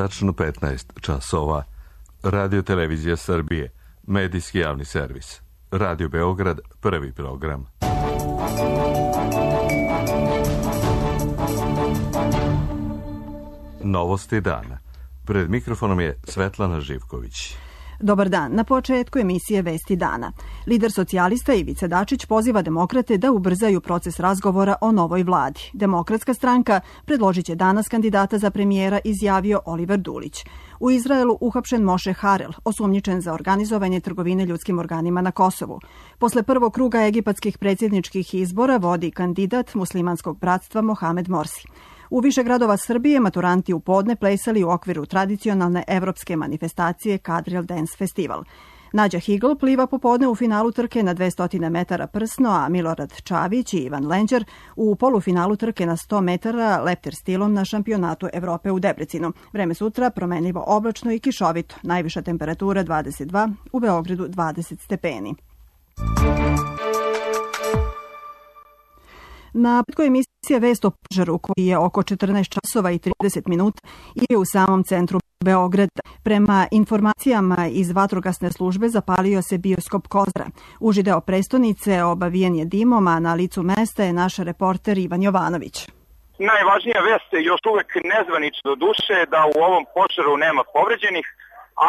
tačno 15 časova. Radio Televizija Srbije, medijski javni servis. Radio Beograd, prvi program. Novosti dana. Pred mikrofonom je Svetlana Živković. Dobar dan. Na početku emisije Vesti dana. Lider socijalista Ivica Dačić poziva demokrate da ubrzaju proces razgovora o novoj vladi. Demokratska stranka predložit će danas kandidata za premijera, izjavio Oliver Dulić. U Izraelu uhapšen Moše Harel, osumnjičen za organizovanje trgovine ljudskim organima na Kosovu. Posle prvog kruga egipatskih predsjedničkih izbora vodi kandidat muslimanskog bratstva Mohamed Morsi. U više gradova Srbije maturanti u podne plesali u okviru tradicionalne evropske manifestacije Kadril Dance Festival. Nađa Higl pliva popodne u finalu trke na 200 metara prsno, a Milorad Čavić i Ivan Lenđer u polufinalu trke na 100 metara leptir stilom na šampionatu Evrope u Debrecinu. Vreme sutra promenljivo oblačno i kišovito. Najviša temperatura 22, u Beogradu 20 stepeni. Na početku emisije Vest o požaru koji je oko 14 časova i 30 minuta i je u samom centru Beograda. Prema informacijama iz vatrogasne službe zapalio se bioskop Kozara. Uži deo prestonice obavijen je dimom, a na licu mesta je naš reporter Ivan Jovanović. Najvažnija vest je još uvek nezvanično do duše da u ovom požaru nema povređenih.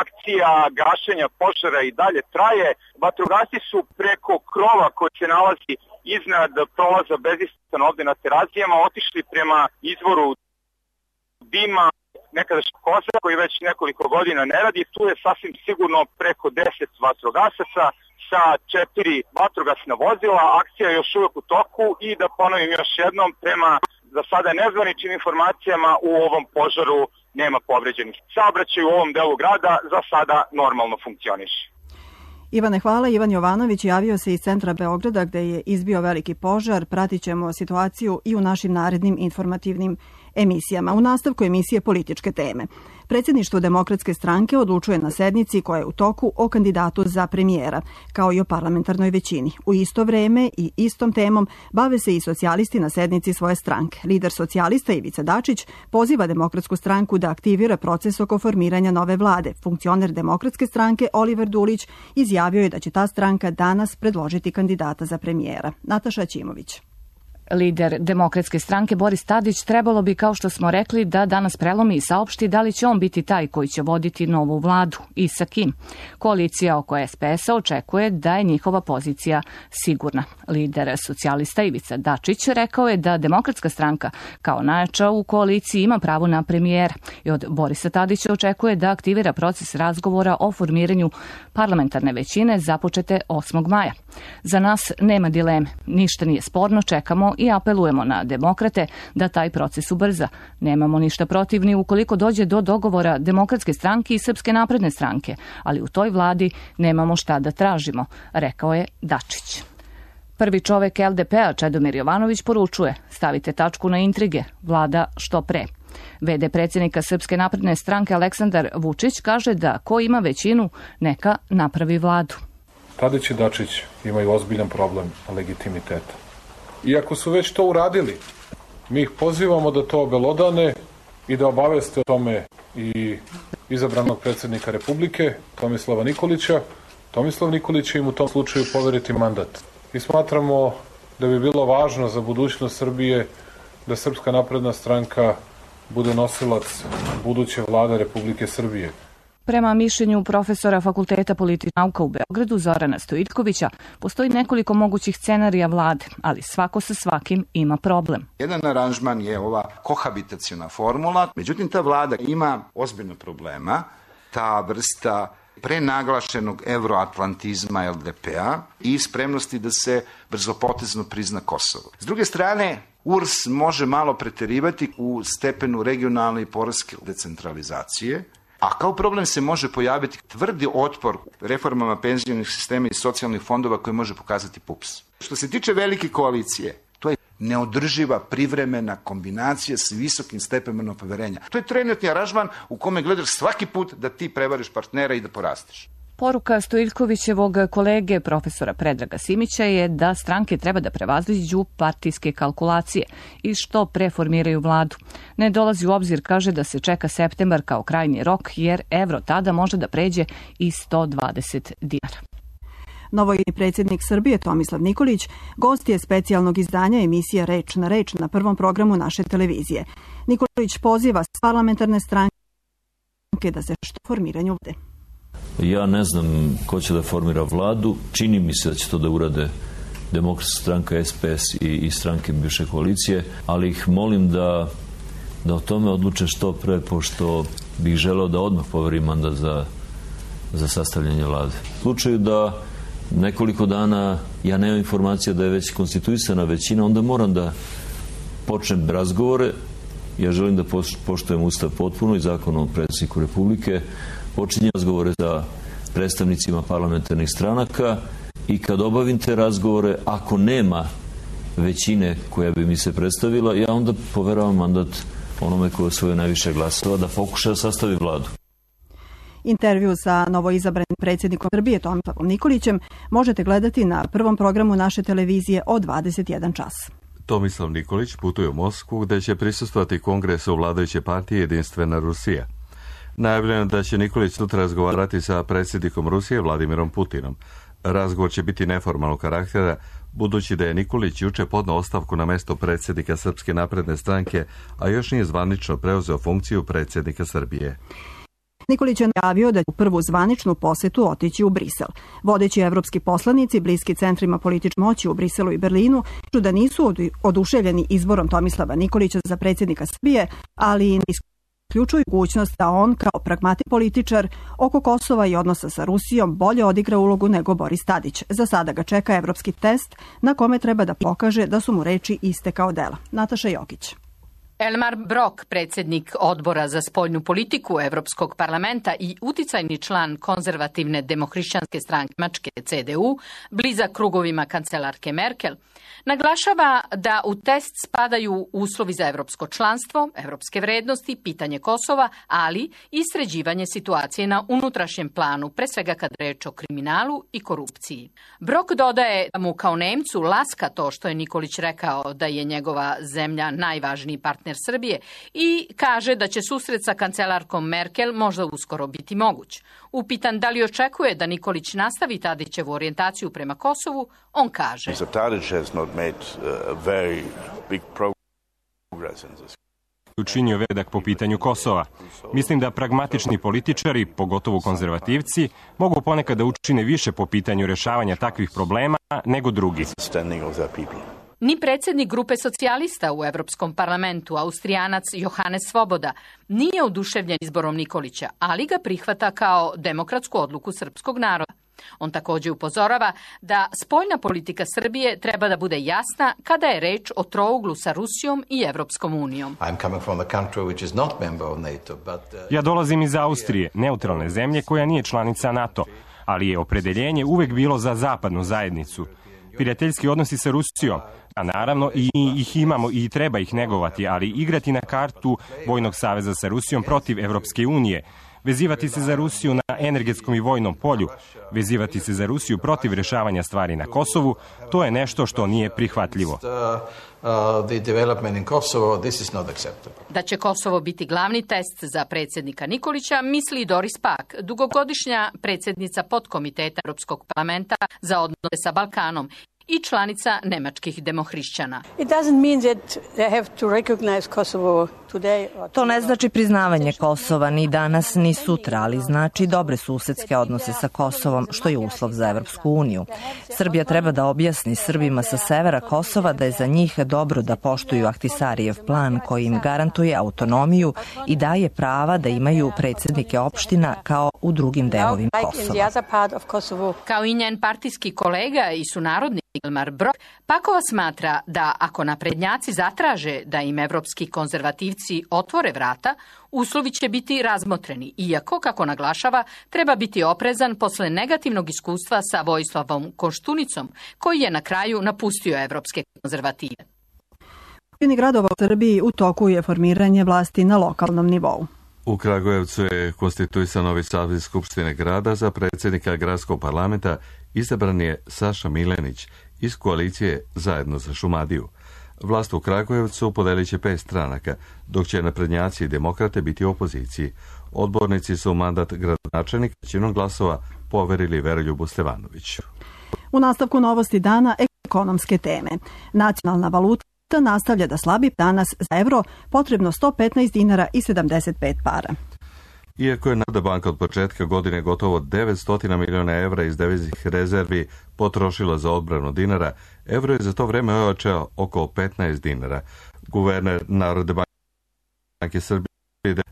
Akcija gašenja požara i dalje traje. Vatrogasci su preko krova koji se nalazi iznad prolaza Bezistan ovde na Terazijama otišli prema izvoru dima nekadašnjeg Kozara koji već nekoliko godina ne radi. Tu je sasvim sigurno preko 10 vatrogasaca sa 4 vatrogasna vozila. Akcija je još uvek u toku i da ponovim još jednom, prema za sada nezvaničnim informacijama u ovom požaru nema povređenih. Saobraćaj u ovom delu grada za sada normalno funkcioniše. Ivane, hvala. Ivan Jovanović javio se iz centra Beograda gde je izbio veliki požar. Pratit ćemo situaciju i u našim narednim informativnim emisijama. U nastavku emisije političke teme. Predsjedništvo Demokratske stranke odlučuje na sednici koja je u toku o kandidatu za premijera, kao i o parlamentarnoj većini. U isto vreme i istom temom bave se i socijalisti na sednici svoje stranke. Lider socijalista Ivica Dačić poziva Demokratsku stranku da aktivira proces oko formiranja nove vlade. Funkcioner Demokratske stranke Oliver Dulić izjavio je da će ta stranka danas predložiti kandidata za premijera. Nataša Ćimović. Lider Demokratske stranke Boris Tadić trebalo bi, kao što smo rekli, da danas prelomi i saopšti da li će on biti taj koji će voditi novu vladu i sa kim. Koalicija oko SPS-a očekuje da je njihova pozicija sigurna. Lider socijalista Ivica Dačić rekao je da Demokratska stranka kao najjača u koaliciji ima pravo na premijera i od Borisa Tadića očekuje da aktivira proces razgovora o formiranju parlamentarne većine započete 8. maja. Za nas nema dileme, ništa nije sporno, čekamo i apelujemo na demokrate da taj proces ubrza. Nemamo ništa protiv ni ukoliko dođe do dogovora Demokratske stranke i Srpske napredne stranke, ali u toj vladi nemamo šta da tražimo, rekao je Dačić. Prvi čovek LDP-a Čedomir Jovanović poručuje: stavite tačku na intrige, vlada što pre. VD predsjednika Srpske napredne stranke Aleksandar Vučić kaže da ko ima većinu, neka napravi vladu. Tadić i Dačić imaju ozbiljan problem legitimiteta. Iako su već to uradili, mi ih pozivamo da to obelodane i da obaveste o tome i izabranog predsjednika Republike, Tomislava Nikolića. Tomislav Nikolić će im u tom slučaju poveriti mandat. I smatramo da bi bilo važno za budućnost Srbije da Srpska napredna stranka bude nosilac buduće vlade Republike Srbije. Prema mišljenju profesora Fakulteta političkih nauka u Beogradu Zorana Stojiljkovića, postoji nekoliko mogućih scenarija vlade, ali svako sa svakim ima problem. Jedan aranžman je ova kohabitaciona formula, međutim ta vlada ima ozbiljno problema, ta vrsta prenaglašenog euroatlantizma LDP-a i spremnosti da se brzopotezno prizna Kosovo. S druge strane, URS može malo preterivati u stepenu regionalne i poreske decentralizacije, a kao problem se može pojaviti tvrdi otpor reformama penzionih sistema i socijalnih fondova koje može pokazati PUPS. Što se tiče velike koalicije, to je neodrživa privremena kombinacija s visokim stepenom poverenja. To je trenutni aranžman u kome gledaš svaki put da ti prevariš partnera i da porasteš. Poruka Stojiljkovićevog kolege profesora Predraga Simića je da stranke treba da prevaziđu partijske kalkulacije i što preformiraju vladu. Ne dolazi u obzir, kaže, da se čeka septembar kao krajnji rok, jer evro tada može da pređe i 120 dinara. Novoizabrani predsjednik Srbije Tomislav Nikolić gost je specijalnog izdanja emisije Reč na prvom programu naše televizije. Nikolić poziva parlamentarne stranke da se što formiranju vlade. Ja ne znam ko će da formira vladu. Čini mi se da će to da urade Demokratska stranka, SPS i stranke bivše koalicije, ali ih molim da o tome odluče što pre, pošto bih želeo da odmah poverim mandat za sastavljanje vlade. U slučaju da nekoliko dana ja nemam informacija da je već konstituisana većina, onda moram da počnem razgovore. Ja želim da poštujem Ustav potpuno i Zakon o predsjedniku Republike. Počinjem razgovore sa predstavnicima parlamentarnih stranaka i kad obavim te razgovore, ako nema većine koja bi mi se predstavila, ja onda poveravam mandat onome koji osvoje najviše glasova da pokuša da sastavi vladu. Intervju sa novoizabranim predsjednikom Srbije Tomislavom Nikolićem možete gledati na prvom programu naše televizije od 21 čas. Tomislav Nikolić putuje u Moskvu gde će prisustvovati kongresu vladajuće partije Jedinstvena Rusija. Najavljeno da će Nikolić sutra razgovarati sa predsjednikom Rusije Vladimirom Putinom. Razgovor će biti neformalnog karaktera, budući da je Nikolić juče podneo ostavku na mesto predsjednika Srpske napredne stranke, a još nije zvanično preuzeo funkciju predsjednika Srbije. Nikolić je najavio da će u prvu zvaničnu posetu otići u Brisel. Vodeći evropski poslanici, bliski centrima političke moći u Briselu i Berlinu, da nisu oduševljeni izborom Tomislava Nikolića za predsjednika Srbije, ali isključuju mogućnost da on, kao pragmatik političar, oko Kosova i odnosa sa Rusijom bolje odigra ulogu nego Boris Tadić. Za sada ga čeka evropski test na kome treba da pokaže da su mu reči iste kao dela. Nataša Jokić. Elmar Brok, predsjednik odbora za spoljnu politiku Evropskog parlamenta i uticajni član konzervativne demohrišćanske stranke Nemačke CDU, blizak krugovima kancelarke Merkel, naglašava da u test spadaju uslovi za evropsko članstvo, evropske vrednosti, pitanje Kosova, ali i sređivanje situacije na unutrašnjem planu, pre svega kad reč o kriminalu i korupciji. Brok dodaje da mu kao Nemcu laska to što je Nikolić rekao da je njegova zemlja najvažniji partner Srbije i kaže da će susret sa kancelarkom Merkel možda uskoro biti moguć. Upitan da li očekuje da Nikolić nastavi Tadićevu orijentaciju prema Kosovu, on kaže: učinio vedak po pitanju Kosova. Mislim da pragmatični političari, pogotovo konzervativci, mogu ponekad da učine više po pitanju rešavanja takvih problema nego drugi. Ni predsjednik grupe socijalista u Evropskom parlamentu, Austrijanac Johannes Svoboda, nije oduševljen izborom Nikolića, ali ga prihvata kao demokratsku odluku srpskog naroda. On također upozorava da spoljna politika Srbije treba da bude jasna kada je reč o trouglu sa Rusijom i Evropskom unijom. Ja dolazim iz Austrije, neutralne zemlje koja nije članica NATO, ali je opredeljenje uvek bilo za zapadnu zajednicu. Prijateljski odnosi sa Rusijom, a naravno i ih imamo i treba ih negovati, ali igrati na kartu vojnog saveza sa Rusijom protiv Evropske unije, vezivati se za Rusiju na energetskom i vojnom polju, vezivati se za Rusiju protiv rešavanja stvari na Kosovu, to je nešto što nije prihvatljivo. Da će Kosovo biti glavni test za predsjednika Nikolića, misli Doris Pack, dugogodišnja predsjednica podkomiteta Europskog parlamenta za odnose sa Balkanom i članica nemačkih demohrišćana. To ne znači priznavanje Kosova ni danas ni sutra, ali znači dobre susedske odnose sa Kosovom, što je uslov za Evropsku uniju. Srbija treba da objasni Srbima sa severa Kosova da je za njih dobro da poštuju Ahtisarijev plan koji im garantuje autonomiju i daje prava da imaju predsjednike opština kao u drugim delovima Kosova. Kao i njen partijski kolega i sunarodnik Elmar Brok, Pakova smatra da ako naprednjaci zatraže da im evropski konzervativci otvore vrata, uslovi će biti razmotreni, iako, kako naglašava, treba biti oprezan posle negativnog iskustva sa Vojislavom Koštunicom, koji je na kraju napustio evropske konzervative. U većini gradova u Srbiji u toku je formiranje vlasti na lokalnom nivou. U Kragujevcu je konstituisan novi saziv Skupštine grada. Za predsjednika gradskog parlamenta izabran je Saša Milenić iz koalicije Zajedno za Šumadiju. Vlast u Kragujevcu podelit će 5 stranaka, dok će naprednjaci i demokrate biti u opoziciji. Odbornici su mandat gradonačelnika većinom glasova poverili Veroljubu Stevanoviću. U nastavku novosti dana ekonomske teme. Nacionalna valuta nastavlja da slabi, danas za evro potrebno 115 dinara i 75 para. Iako je Narodna banka od početka godine gotovo 900 miliona evra iz deviznih rezervi potrošila za odbranu dinara, evro je za to vreme ojačao oko 15 dinara. Guverner Narodne banke Srbije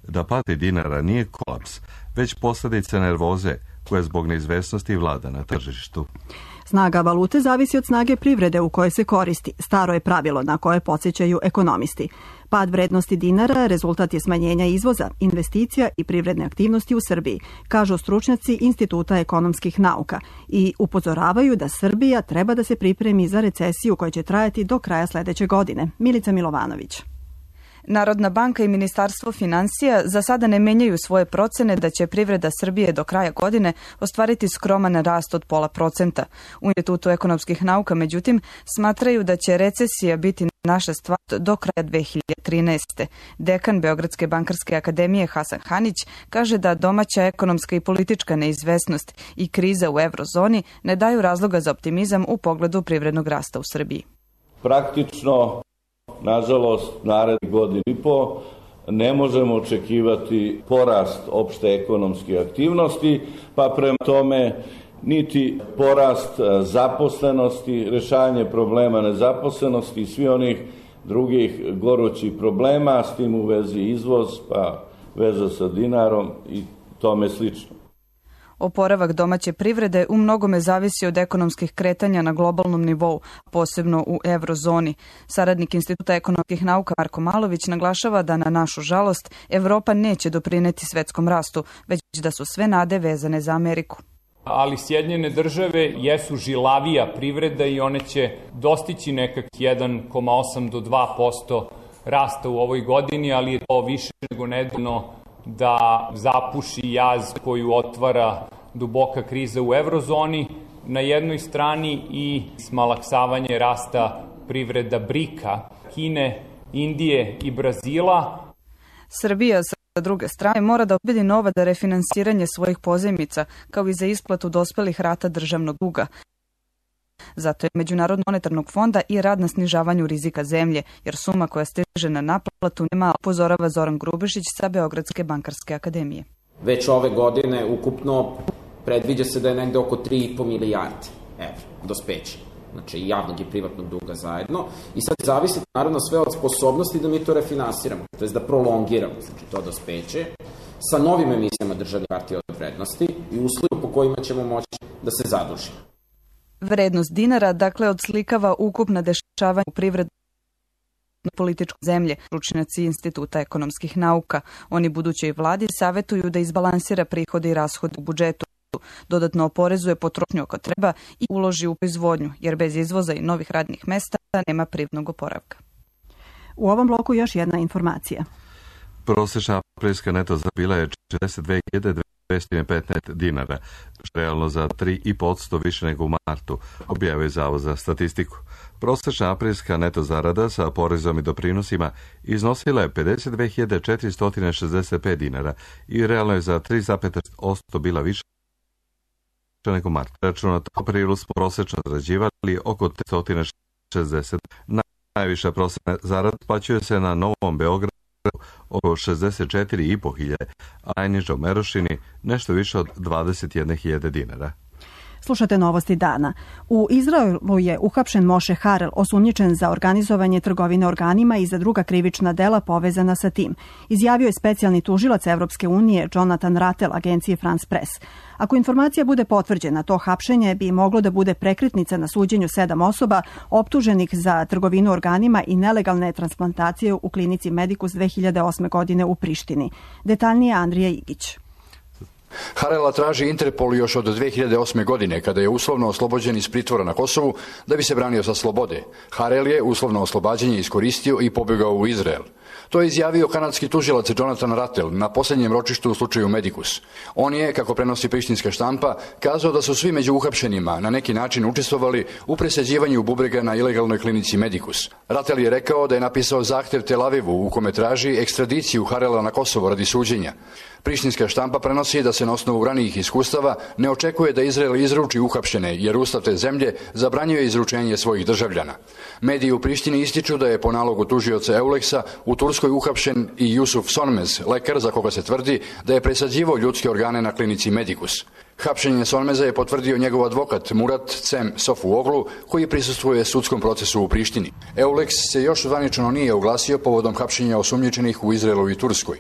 da pad dinara nije kolaps, već posljedica nervoze koja zbog neizvesnosti vlada na tržištu. Snaga valute zavisi od snage privrede u kojoj se koristi. Staro je pravilo na koje podsjećaju ekonomisti. Pad vrednosti dinara rezultat je smanjenja izvoza, investicija i privredne aktivnosti u Srbiji, kažu stručnjaci Instituta ekonomskih nauka i upozoravaju da Srbija treba da se pripremi za recesiju koja će trajati do kraja sledeće godine. Milica Milovanović. Narodna banka i Ministarstvo finansija za sada ne menjaju svoje procene da će privreda Srbije do kraja godine ostvariti skroman rast od 0,5%. U Institutu ekonomskih nauka, međutim, smatraju da će recesija biti naša stvar do kraja 2013. Dekan Beogradske bankarske akademije Hasan Hanić kaže da domaća ekonomska i politička neizvesnost i kriza u eurozoni ne daju razloga za optimizam u pogledu privrednog rasta u Srbiji. Praktično, nažalost, narednih godinu i po ne možemo očekivati porast opšte ekonomske aktivnosti, pa prema tome niti porast zaposlenosti, rešavanje problema nezaposlenosti i svi onih drugih gorućih problema, s tim u vezi izvoz, pa veza sa dinarom i tome slično. Oporavak domaće privrede u mnogome zavisi od ekonomskih kretanja na globalnom nivou, posebno u eurozoni. Saradnik Instituta ekonomskih nauka Marko Malović naglašava da na našu žalost Evropa neće doprineti svetskom rastu, već da su sve nade vezane za Ameriku. Ali Sjedinjene države jesu žilavija privreda i one će dostići nekak 1,8 do 2% rasta u ovoj godini, ali je to više nego nedovoljno da zapuši jaz koju otvara duboka kriza u eurozoni na jednoj strani i smalaksavanje rasta privreda BRIK-a, Kine, Indije i Brazila. Srbija sa druge strane mora da obezbedi novac za refinansiranje svojih pozajmica kao i za isplatu dospelih rata državnog duga. Zato je Međunarodnog monetarnog fonda i rad na snižavanju rizika zemlje, jer suma koja stiže na naplatu nema, upozorava Zoran Grubešić sa Beogradske bankarske akademije. Već ove godine ukupno predviđa se da je negde oko 3,5 milijarde evra dospeće, znači javnog i privatnog duga zajedno. I sad zavisi naravno sve od sposobnosti da mi to refinansiramo, to je da prolongiramo, znači to dospeće, sa novim emisijama državnih hartija od vrednosti i uslovima po kojima ćemo moći da se zadužimo. Vrednost dinara, dakle, odslikava ukupna dešavanja u privrednom političkoj zemlje, stručnjaci Instituta ekonomskih nauka. Oni budućoj vladi savetuju da izbalansira prihode i rashode u budžetu, dodatno oporezuje potrošnju ako treba i uloži u proizvodnju, jer bez izvoza i novih radnih mesta nema privrednog oporavka. U ovom bloku još jedna informacija. Prosječna aprilska neto zarada bila je 42.215 dinara, realno za 3,5% više nego u martu, objavio je Zavod za statistiku. Prosječna aprilska neto zarada sa porezom i doprinosima iznosila je 52.465 dinara i realno je za 3,5% bila više nego u martu. Računato u aprilu smo prosječno zarađivali oko 360. Najviša prosječna zarada plaćuje se na Novom Beogradu oko 64.500, a najniža u Merošini nešto više od 21.000 dinara. Slušate novosti dana. U Izraelu je uhapšen Moše Harel, osumnjičen za organizovanje trgovine organima i za druga krivična dela povezana sa tim. Izjavio je specijalni tužilac Evropske unije Jonathan Rattel agencije France Press. Ako informacija bude potvrđena, to hapšenje bi moglo da bude prekretnica na suđenju 7 osoba optuženih za trgovinu organima i nelegalne transplantacije u klinici Medicus 2008. godine u Prištini. Detaljnije Andrija Igić. Harela traži Interpol još od 2008. godine, kada je uslovno oslobođen iz pritvora na Kosovu da bi se branio sa slobode. Harel je uslovno oslobađanje iskoristio i pobegao u Izrael. To je izjavio kanadski tužilac Jonathan Rattel na posljednjem ročištu u slučaju Medicus. On je, kako prenosi prištinska štampa, kazao da su svi među uhapšenima na neki način učestvovali u presađivanju bubrega na ilegalnoj klinici Medicus. Rattel je rekao da je napisao zahtev Tel Avivu u kome traži ekstradiciju Harela na Kosovo radi suđenja. Prištinska štampa prenosi da se na osnovu ranijih iskustava ne očekuje da Izrael izruči uhapšene, jer ustav te zemlje zabranjuje izručenje svojih državljana. Mediji u Prištini ističu da je po nalogu tužioca Euleksa u Turskoj uhapšen i Jusuf Sonmez, lekar za koga se tvrdi da je presađivao ljudske organe na klinici Medicus. Hapšenje Sonmeza je potvrdio njegov advokat Murat Cem Sofuoglu, koji prisustvuje sudskom procesu u Prištini. Euleks se još zvanično nije oglasio povodom hapšenja osumnjičenih u Izraelu i Turskoj.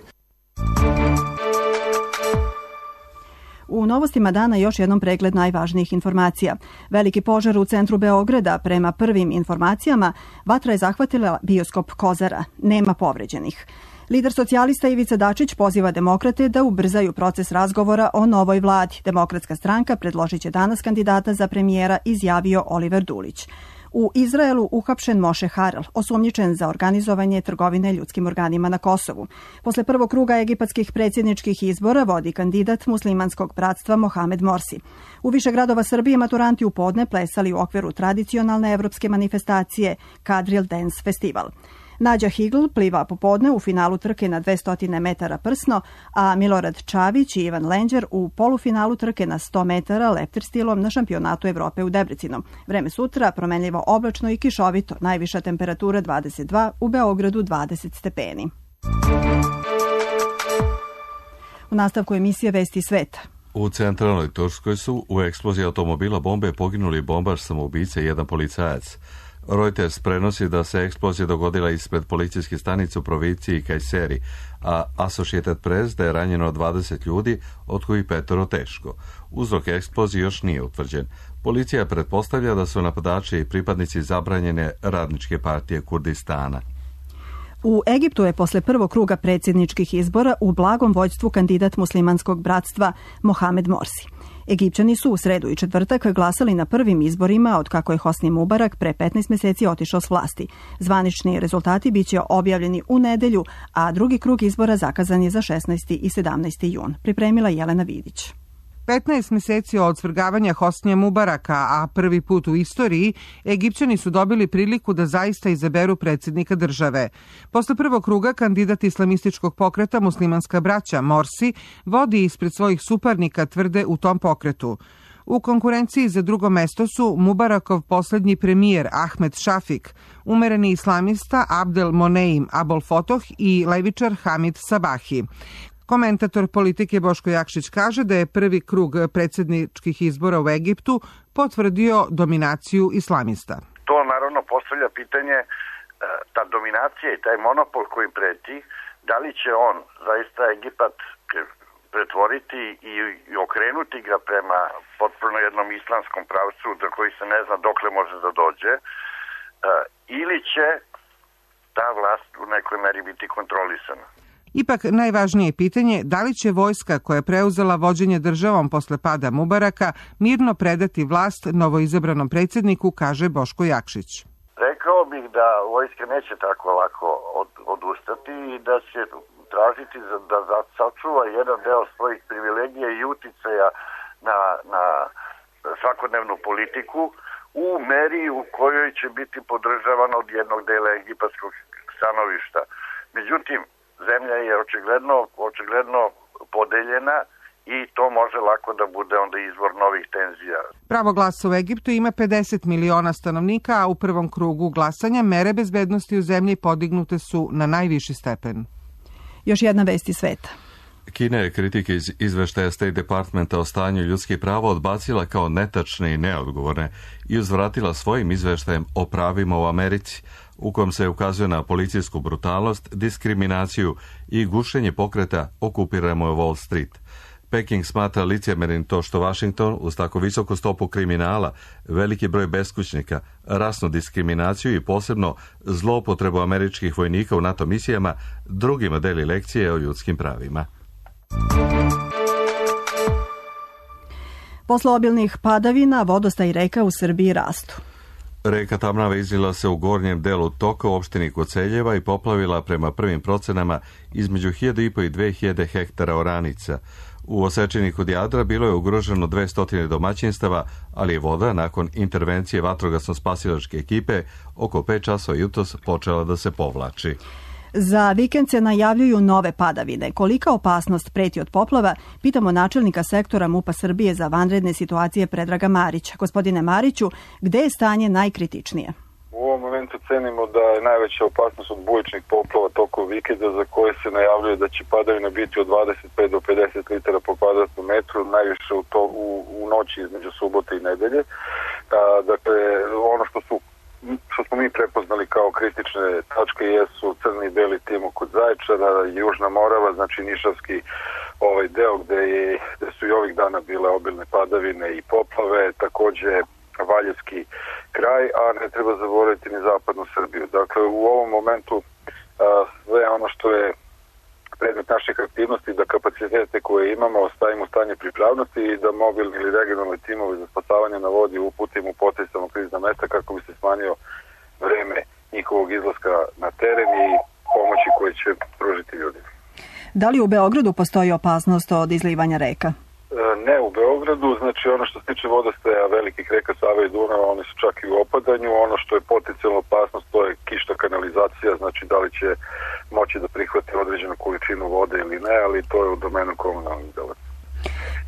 U novostima dana još jednom pregled najvažnijih informacija. Veliki požar u centru Beograda, prema prvim informacijama, vatra je zahvatila bioskop Kozara. Nema povređenih. Lider socijalista Ivica Dačić poziva demokrate da ubrzaju proces razgovora o novoj vladi. Demokratska stranka predložit će danas kandidata za premijera, izjavio Oliver Dulić. U Izraelu uhapšen Moše Harel, osumnjičen za organizovanje trgovine ljudskim organima na Kosovu. Posle prvog kruga egipatskih predsjedničkih izbora vodi kandidat muslimanskog bratstva Mohamed Morsi. U više gradova Srbije maturanti u podne plesali u okviru tradicionalne evropske manifestacije Kadril Dance Festival. Nađa Higl pliva popodne u finalu trke na 200 metara prsno, a Milorad Čavić i Ivan Lenđer u polufinalu trke na 100 metara leptir stilom na šampionatu Evrope u Debrecinu. Vreme sutra promenljivo oblačno i kišovito, najviša temperatura 22, u Beogradu 20 stepeni. U nastavku emisije Vesti sveta. U centralnoj Turskoj su u eksploziji automobila bombe poginuli bombaš, samoubice i jedan policajac. Reuters prenosi da se eksplozija dogodila ispred policijske stanice u provinciji Kayseri, a Associated Press da je ranjeno 20 ljudi, od kojih 5 teško. Uzrok eksplozije još nije utvrđen. Policija pretpostavlja da su napadači i pripadnici zabranjene radničke partije Kurdistana. U Egiptu je posle prvog kruga predsjedničkih izbora u blagom vođstvu kandidat muslimanskog bratstva Mohamed Morsi. Egipćani su u sredu i četvrtak glasali na prvim izborima od kako je Hosni Mubarak pre 15 mjeseci otišao s vlasti. Zvanični rezultati biće objavljeni u nedelju, a drugi krug izbora zakazan je za 16. i 17. jun. Pripremila Jelena Vidić. 15 mjeseci od svrgavanja Hosnija Mubaraka, a prvi put u istoriji, Egipćani su dobili priliku da zaista izaberu predsjednika države. Posle prvog kruga kandidat islamističkog pokreta Muslimanska braća Morsi vodi ispred svojih suparnika, tvrde u tom pokretu. U konkurenciji za drugo mesto su Mubarakov posljednji premijer Ahmed Šafik, umereni islamista Abdel Moneim Abol Fotoh i levičar Hamid Sabahi. Komentator politike Boško Jakšić kaže da je prvi krug predsjedničkih izbora u Egiptu potvrdio dominaciju islamista. To naravno postavlja pitanje, ta dominacija i taj monopol koji preti, da li će on zaista Egipat pretvoriti i okrenuti ga prema potpuno jednom islamskom pravcu do koji se ne zna dokle može da dođe, ili će ta vlast u nekoj meri biti kontrolisana. Ipak najvažnije je pitanje da li će vojska koja je preuzela vođenje državom posle pada Mubaraka mirno predati vlast novoizabranom predsjedniku, kaže Boško Jakšić. Rekao bih da vojska neće tako lako odustati i da će tražiti da sačuva jedan deo svojih privilegija i uticaja na svakodnevnu politiku u meri u kojoj će biti podržavan od jednog dela egipatskog stanovišta. Međutim, zemlja je očigledno podeljena i to može lako da bude onda izvor novih tenzija. Pravo glasa u Egiptu ima 50 miliona stanovnika, a u prvom krugu glasanja mere bezbednosti u zemlji podignute su na najviši stepen. Još jedna vest iz sveta. Kina je kritike iz izveštaja State Departmenta o stanju ljudskih prava odbacila kao netačne i neodgovorne i uzvratila svojim izveštajem o pravima u Americi, u kojem se ukazuje na policijsku brutalnost, diskriminaciju i gušenje pokreta Okupirajmo Wall Street. Peking smatra licemjernim to što Washington uz tako visoku stopu kriminala, veliki broj beskućnika, rasnu diskriminaciju i posebno zloupotrebu američkih vojnika u NATO misijama drugima deli lekcije o ljudskim pravima. Posle obilnih padavina, vodostaj reka u Srbiji rastu. Reka Tamnava izlila se u gornjem delu toka u opštini Koceljeva i poplavila prema prvim procenama između 1.500 i 2.000 hektara oranica. U Osečini kod Jadra bilo je ugroženo 200 domaćinstava, ali je voda nakon intervencije vatrogasno-spasilačke ekipe oko 5 časova jutros počela da se povlači. Za vikend se najavljuju nove padavine. Kolika opasnost preti od poplava, pitamo načelnika sektora MUP-a Srbije za vanredne situacije Predraga Marića. Gospodine Mariću, gde je stanje najkritičnije? U ovom momentu cenimo da je najveća opasnost od bujičnih poplava tokom vikenda za koje se najavljuje da će padavina biti od 25 do 50 litara po kvadratnom metru, najviše u noći između subote i nedelje. Dakle, ono što smo mi prepoznali kao kritične tačke jesu Crni i Beli Timok kod Zaječara, Južna Morava, znači Nišavski deo gde su i ovih dana bile obilne padavine i poplave, takođe Valjevski kraj, a ne treba zaboraviti ni zapadnu Srbiju. Dakle, u ovom momentu sve ono što je predmet naših aktivnosti, da kapacitete koje imamo ostavimo u stanje pripravnosti i da mobilni ili regionalni timovi za spasavanje na vodi uputimo u potencijalno krizna mesta kako bi se smanjio vreme njihovog izlaska na teren i pomoći koje će pružiti ljudima. Da li u Beogradu postoji opasnost od izlivanja reka? Ne u Beogradu, znači ono što se tiče vodostaja velikih reka Save i Dunava, oni su čak i u opadanju. Ono što je potencijalna opasnost, to je kišna kanalizacija, znači da li će moći da prihvati određenu količinu vode ili ne, ali to je u domenu komunalnih delatnosti.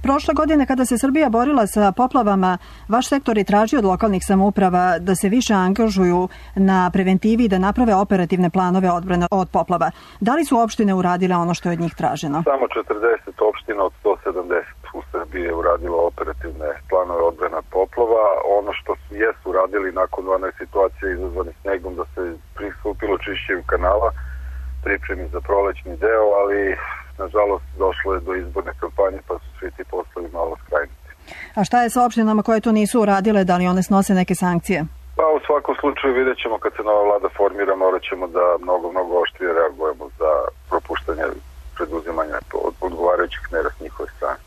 Prošle godine kada se Srbija borila sa poplavama, vaš sektor je tražio od lokalnih samouprava da se više angažuju na preventivi i da naprave operativne planove odbrane od poplava. Da li su opštine uradile ono što je od njih traženo? Samo 40 opština od 170 u Srbiji je uradilo operativne planove odbrane od poplava. Ono što jesu uradili nakon one situacije izazvane snegom da se pristupilo čišćenju kanala, pripremi za prolećni deo, ali nažalost došlo je do izborne kampanje pa su svi ti poslovi malo skrajnuti. A šta je sa opštinama koje to nisu uradile, da li one snose neke sankcije? Pa u svakom slučaju vidjet ćemo kad se nova vlada formira, morat ćemo da mnogo oštrije reagujemo za propuštanje preduzimanja odgovarajućih mera s njihove strane.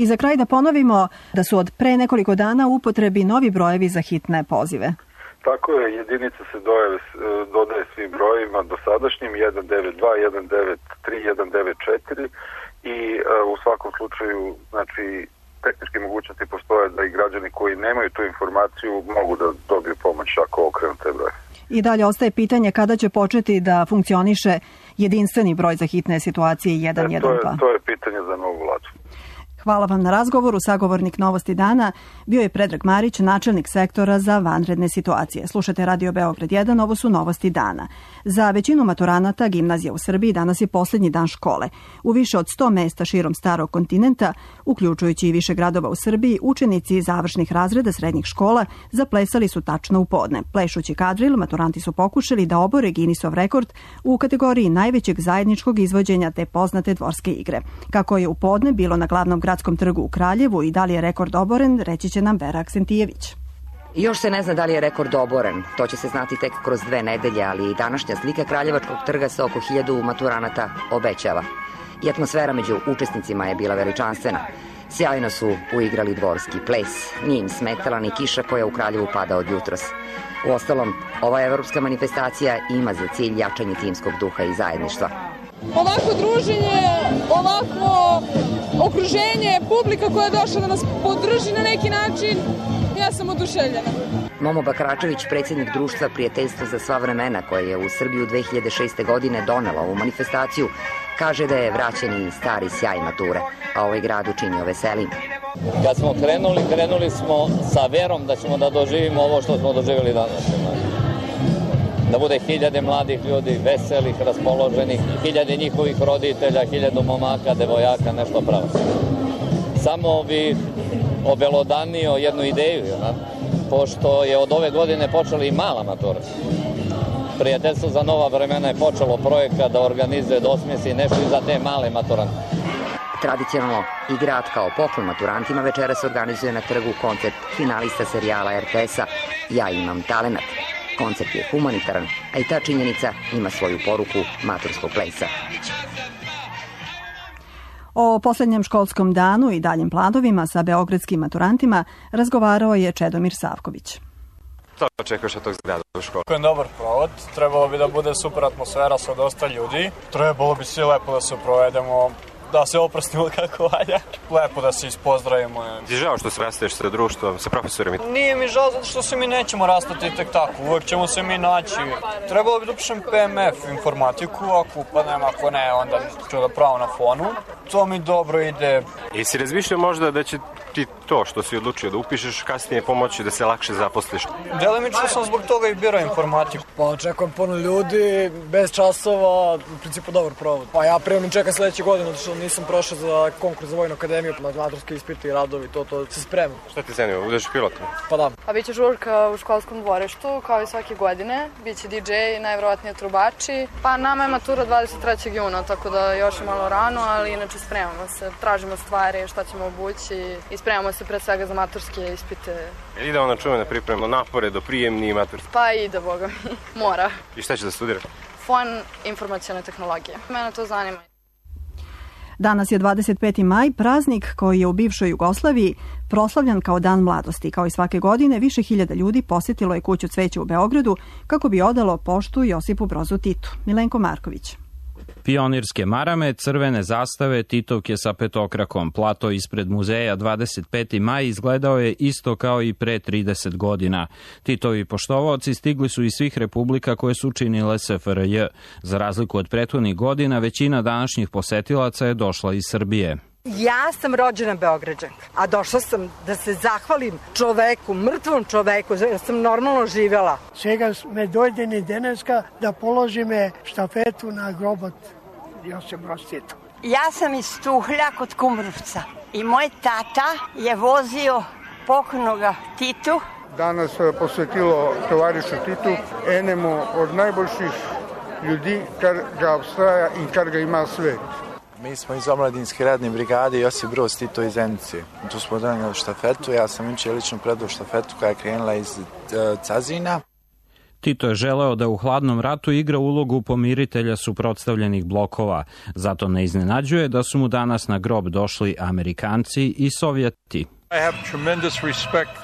I za kraj da ponovimo da su od pre nekoliko dana u upotrebi novi brojevi za hitne pozive. Tako je, jedinica se dodaje svim brojevima dosadašnjim 192, 193, 194 i u svakom slučaju, znači, tehničke mogućnosti postoje da i građani koji nemaju tu informaciju mogu da dobiju pomoć ako okrenu te broje. I dalje ostaje pitanje kada će početi da funkcioniše jedinstveni broj za hitne situacije 112. To je pitanje za novu vladu. Hvala vam na razgovoru. Sagovornik Novosti dana bio je Predrag Marić, načelnik sektora za vanredne situacije. Slušate Radio Beograd 1, ovo su Novosti dana. Za većinu maturanata gimnazija u Srbiji danas je posljednji dan škole. U više od 100 mesta širom starog kontinenta, uključujući i više gradova u Srbiji, učenici završnih razreda srednjih škola zaplesali su tačno u podne. Plešući kadril, maturanti su pokušali da obore Guinnessov rekord u kategoriji najvećeg zajedničkog izvođenja te poznate dvorske igre. Kako je u podne bilo na glavnom gradskom trgu u Kraljevu i da li je rekord oboren, reći će nam Vera Aksentijević. Još se ne zna da li je rekord oboren. To će se znati tek kroz 2 nedelje, ali i današnja slika Kraljevačkog trga sa oko 1000 maturanata obećava. I atmosfera među učesnicima je bila veličanstvena. Sjajno su uigrali dvorski ples. Nije im smetala ni kiša koja u Kraljevu pada od jutros. Uostalom, ova evropska manifestacija ima za cilj jačanje timskog duha i zajedništva. Ovako druženje, ovako okruženje, publika koja je došla da nas podrži na neki način, ja sam oduševljena. Momo Bakračević, predsjednik društva Prijateljstvo za sva vremena, koje je u Srbiju 2006. godine donela ovu manifestaciju, kaže da je vraćen i stari sjaj mature, a ovaj grad učinio veselim. Kad smo krenuli smo sa verom da ćemo da doživimo ovo što smo doživjeli danas. Da bude 1000 mladih ljudi, veselih, raspoloženih, 1000 njihovih roditelja, 1000 momaka, devojaka, nešto pravo. Samo bih obelodanio jednu ideju, pošto je od ove godine počela i mala matura. Prijateljstvo za nova vremena je počelo projekat da organizuje, da osmisli nešto i za te male maturante. Tradicionalno i grad kao poklon maturantima večeras organizuje na trgu koncert finalista serijala RTS-a Ja imam talenat. Koncert je humanitaran, a i ta činjenica ima svoju poruku maturskog plesa. O poslednjem školskom danu i daljim planovima sa beogradskim maturantima razgovarao je Čedomir Savković. Šta očekuješ od tog zgrada u školi? Ako je dobar provod, trebalo bi da bude super atmosfera sa dosta ljudi. Trebalo bi svi lepo da se provedemo, da se oprostimo kako valja. Lepo da se ispozdravimo. Ti je žao što se rastaješ sa društvom, sa profesorima? Nije mi žao zato što se mi nećemo rastati tek tako. Uvek ćemo se mi naći. Trebalo bi da upišem PMF informatiku, ako upadnem, ako ne, onda ću da pravo na fonu. To mi dobro ide. I si razmišljao možda da će ti to što si odlučio da upišeš kasnije pomoći da se lakše zaposliš? Delimično sam zbog toga i birao informatiku. Pa očekujem puno ljudi, bez časova, u principu dobar provod. Pa ja prijemnim čekam sledeće godine, zato što nisam prošao za konkurs za Vojnu akademiju, maturske ispite i radovi, to se spremam. Šta ti zanima, budeš pilot? Pa da. A biće žurka u školskom dvorištu, kao i svake godine. Biće DJ, najverovatnije trubači. Pa nama je matura 23. juna, tako da još je malo rano, ali inače spremamo se. Tražimo stvari, šta ćemo obući i spremamo se pre svega za maturske ispite. Ide ona čuvena priprema napore do prijemni i maturske? Pa ide, boga mi. Mora. I šta će da studiraš? Fon informacione tehnologije. Mene to zanima. Danas je 25. maj, praznik koji je u bivšoj Jugoslaviji proslavljan kao Dan mladosti. Kao i svake godine, više hiljada ljudi posjetilo je kuću cveća u Beogradu kako bi odalo poštu Josipu Brozu Titu. Milenko Marković. Pionirske marame, crvene zastave, Titovke sa petokrakom. Plato ispred muzeja 25. maj izgledao je isto kao i pre 30 godina. Titovi poštovaoci stigli su iz svih republika koje su činile SFRJ. Za razliku od prethodnih godina, većina današnjih posetilaca je došla iz Srbije. Ja sam rođena Beograđanka, a došla sam da se zahvalim čoveku, mrtvom čoveku, jer sam normalno živjela. Svega me dojde ni deneska da položi me štafetu na grobat Josip Broz Tito. Ja sam iz Tuhlja kod Kumrovca i moj tata je vozio pokojnoga Titu. Danas posvetilo tovarišu Titu, enemu od najboljših ljudi, kar ga obstaja i kar ga ima svet. Mi smo iz omladinske radne brigade Josip Broz Tito iz Zenice. Tu smo donijeli štafetu, ja sam inče lično predao štafetu koja je krenula iz Cazina. Tito je želeo da u hladnom ratu igra ulogu pomiritelja suprotstavljenih blokova. Zato ne iznenađuje da su mu danas na grob došli Amerikanci i Sovjeti.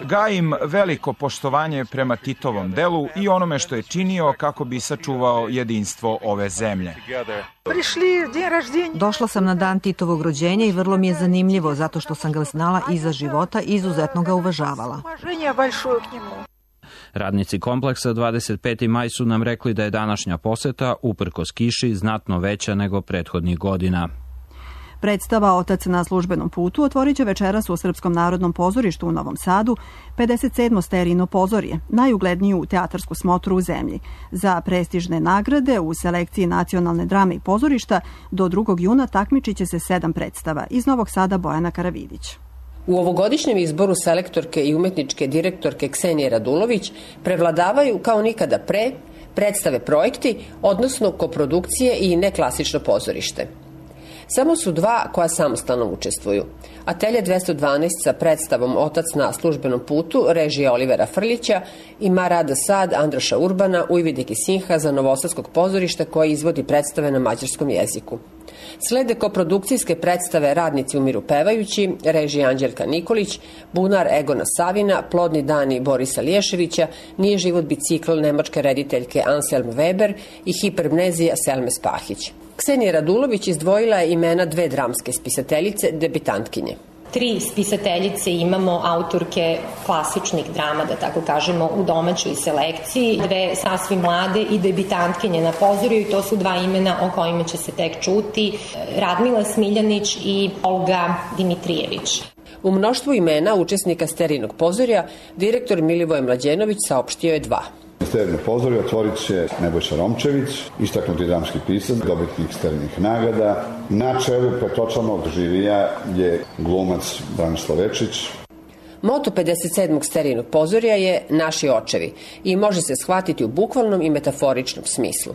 Gajim veliko poštovanje prema Titovom delu i onome što je činio kako bi sačuvao jedinstvo ove zemlje. Došla sam na dan Titovog rođenja i vrlo mi je zanimljivo zato što sam ga znala iza života i izuzetno ga uvažavala. Radnici kompleksa 25. maj su nam rekli da je današnja poseta, uprkos kiši, znatno veća nego prethodnih godina. Predstava Otac na službenom putu otvorit će večeras u Srpskom narodnom pozorištu u Novom Sadu 57. Sterino pozorje, najugledniju teatarsku smotru u zemlji. Za prestižne nagrade u selekciji nacionalne drame i pozorišta do 2. juna takmičit će se 7 predstava. Iz Novog Sada Bojana Karavidić. U ovogodišnjem izboru selektorke i umetničke direktorke Ksenije Radulović prevladavaju kao nikada pre predstave projekti, odnosno koprodukcije i neklasično pozorište. Samo su 2 koja samostalno učestvuju. Atelje 212 sa predstavom Otac na službenom putu, režija Olivera Frljića i Marada Sad Andraša Urbana u Ividiki Sinha za Novosadskog pozorišta koji izvodi predstave na mađarskom jeziku. Slede koprodukcijske predstave Radnici umiru pevajući, režija Anđelka Nikolić, Bunar Egona Savina, Plodni dani Borisa Liješevića, Nije život bicikl nemačke rediteljke Anselm Weber i Hipermnezija Selme Spahić. Ksenija Radulović izdvojila je imena 2 dramske spisateljice, debitantkinje. 3 spisateljice imamo autorke klasičnih drama, da tako kažemo, u domaćoj selekciji, 2 sasvim mlade i debitantkinje na pozorju i to su 2 imena o kojima će se tek čuti, Radmila Smiljanić i Olga Dimitrijević. U mnoštvu imena učesnika Sterinog pozorja direktor Milivoje Mlađenović saopštio je 2. Sterino pozorje otvorit će Nebojša Romčević, istaknuti dramski pisac, dobitnik Sterinih nagrada. Na čelu petočlanog žirija je glumac Branislav Večić. Moto 57. Sterinog pozorja je Naši očevi i može se shvatiti u bukvalnom i metaforičnom smislu.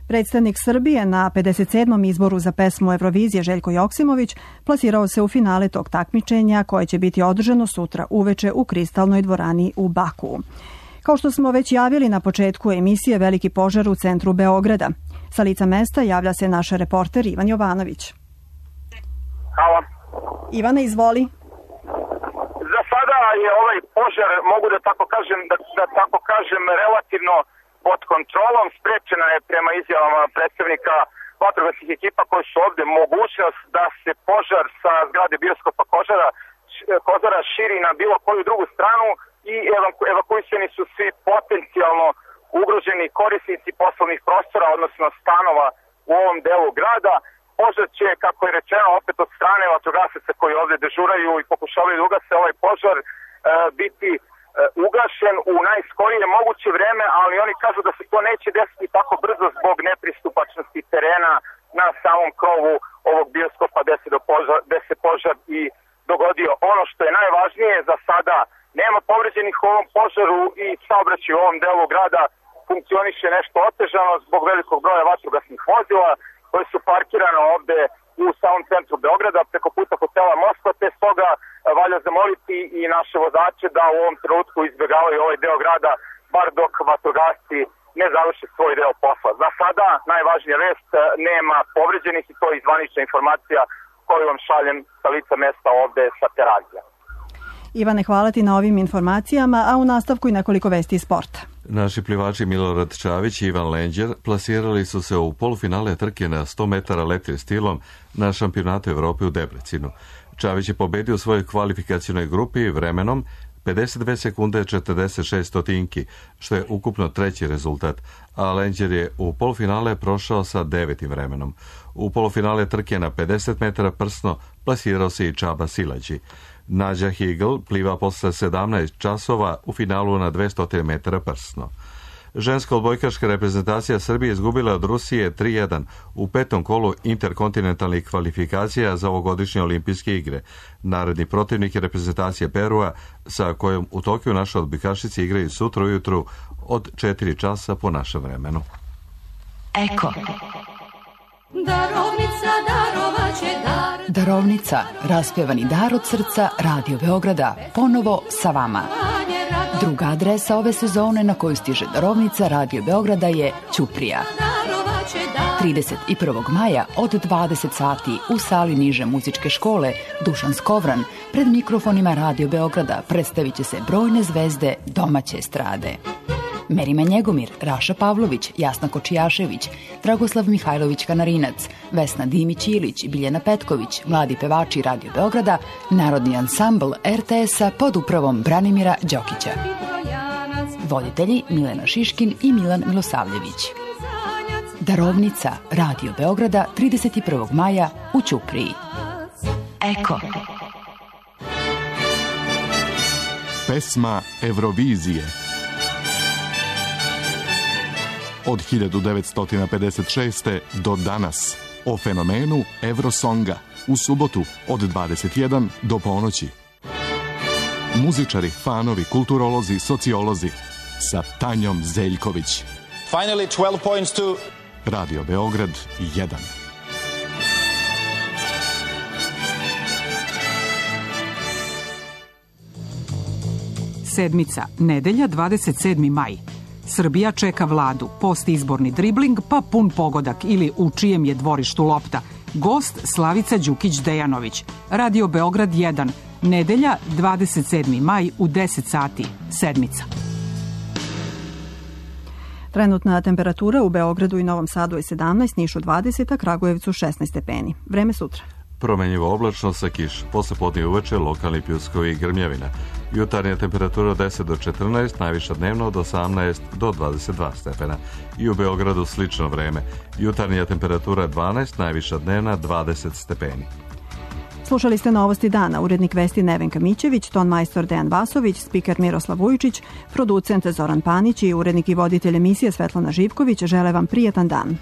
Predstavnik Srbije na 57. izboru za pesmu Eurovizije Željko Joksimović plasirao se u finale tog takmičenja koje će biti održano sutra uveče u Kristalnoj dvorani u Bakuu. Kao što smo već javili na početku emisije, veliki požar u centru Beograda. Sa lica mesta javlja se naš reporter Ivan Jovanović. Hvala. Ivane, izvoli. Za sada je ovaj požar, mogu da tako kažem, relativno pod kontrolom. Sprečena je prema izjavama predstavnika vatrogasnih ekipa koji su ovde mogućnost da se požar sa zgrade bioskopa Kozara širi na bilo koju drugu stranu i evakuisani su svi potencijalno ugroženi korisnici poslovnih prostora, odnosno stanova u ovom delu grada. Požar će, kako je rečeno, opet od strane vatrogasaca koji ovde dežuraju i pokušavaju da ugase ovaj požar, biti ugašen u najskorije moguće vreme, ali oni kažu da se to neće desiti tako brzo zbog nepristupačnosti terena na samom krovu ovog bioskopa gde se požar i dogodio. Ono što je najvažnije za sada, nema povređenih u ovom požaru i saobraćaj u ovom delu grada funkcioniše nešto otežano zbog velikog broja vatrogasnih vozila koje su parkirane ovde u samom centru Beograda preko puta hotela Moskva, te stoga valja zamoliti i naše vozače da u ovom trenutku izbjegavaju ovaj deo grada bar dok vatrogasci ne završe svoj deo posla. Za sada najvažnija vest, nema povređenih i to je zvanična informacija koju vam šaljem sa lica mesta ovde sa Terazija. Ivane, hvala ti na ovim informacijama, a u nastavku i nekoliko vesti iz sporta. Naši plivači Milorad Čavić i Ivan Lenđer plasirali su se u polufinale trke na 100 metara leptir stilom na šampionatu Evrope u Debrecinu. Čavić je pobedio u svojoj kvalifikacionoj grupi vremenom 52 sekunde 46 stotinki, što je ukupno treći rezultat, a Lenđer je u polufinale prošao sa 9. vremenom. U polufinale trke na 50 metara prsno plasirao se i Čaba Silađi. Nađa Higl pliva posle 17 časova u finalu na 200 metara prsno. Ženska odbojkaška reprezentacija Srbije izgubila od Rusije 3-1 u 5. kolu interkontinentalnih kvalifikacija za ovogodišnje olimpijske igre. Naredni protivnik je reprezentacija Perua, sa kojom u Tokiju naše odbojkašice igraju sutra ujutru od 4 časa po našem vremenu. Eko. Darovnica darovaće dar. Darovnica, raspjevani dar od srca Radio Beograda, ponovo sa vama. Druga adresa ove sezone na koju stiže darovnica Radio Beograda je Ćuprija. 31. maja od 20 sati u sali niže muzičke škole Dušan Skovran pred mikrofonima Radio Beograda predstavit će se brojne zvezde domaće estrade. Merima Njegomir, Raša Pavlović, Jasna Kočijašević, Dragoslav Mihajlović Kanarinac, Vesna Dimić-Ilić, Biljana Petković, mladi pevači Radio Beograda, Narodni ansambl RTS-a pod upravom Branimira Đokića. Voditelji Milena Šiškin i Milan Milosavljević. Darovnica Radio Beograda 31. maja u Ćupriji. Eko. Pesma Eurovizije. Od 1956. do danas o fenomenu Eurosonga u subotu od 21 do ponoći. Muzičari, fanovi, kulturolozi, sociolozi sa Tanjom Zeljković. Finally 12 points to Radio Beograd 1. Sedmica, nedelja 27. maj. Srbija čeka vladu, postizborni dribling pa pun pogodak ili u čijem je dvorištu lopta. Gost Slavica Đukić-Dejanović. Radio Beograd 1. Nedelja 27. maj u 10 sati. Sedmica. Trenutna temperatura u Beogradu i Novom Sadu je 17, Nišu 20, a Kragujevcu 16 stepeni. Vreme sutra. Promenjivo oblačno sa kiš. Posle podne uveče lokalni pljuskovi i grmljavina. Jutarnja temperatura od 10 do 14, najviša dnevno od 18 do 22 stepena. I u Beogradu slično vreme. Jutarnja temperatura 12, najviša dnevna 20 stepeni. Slušali ste Novosti dana, urednik vesti Nevenka Mićević, ton majstor Dejan Vasović, spiker Miroslav Vujčić, producent Zoran Panić i urednik i voditelj emisije Svetlana Živković žele vam prijetan dan.